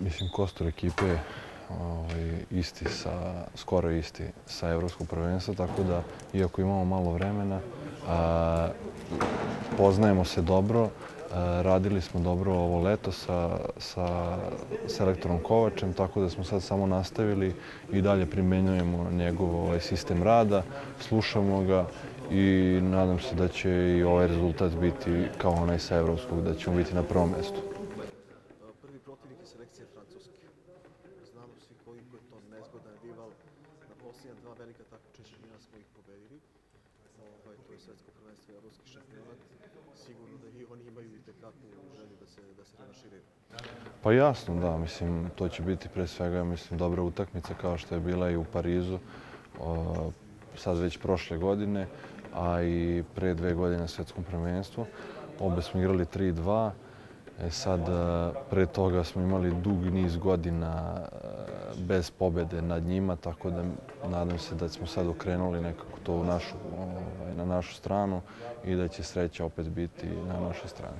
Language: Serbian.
mislim, kostur ekipe je skoro isti sa evropskog prvenstva, tako da, iako imamo malo vremena, poznajemo se dobro, radili smo dobro ovo leto sa selektorom Kovačem, tako da smo sad samo nastavili i dalje primenjujemo njegov sistem rada, slušamo ga i nadam se da će i ovaj rezultat biti kao onaj sa evropskog, da ćemo biti na prvom mjestu. Prvi protivnik je selekcija Francuske. Znamo svi koliko je to nezgodan rival. Na posljednja dva velika takmičenja smo ih pobedili. To je svetsko prvenstvo i evropski šampionat. Sigurno da i oni imaju i tekakvu želju da se revanširaju. Pa jasno, da. Mislim, to će biti pre svega, mislim, dobra utakmica kao što je bila i u Parizu. Sad već prošle godine, a i pre 2 godine na svetskom prvenstvu. Obe smo igrali 3-2. Sad, pre toga smo imali dug niz godina bez pobjede nad njima, tako da nadam se da smo sad okrenuli nekako to na našu stranu i da će sreća opet biti na našoj strani.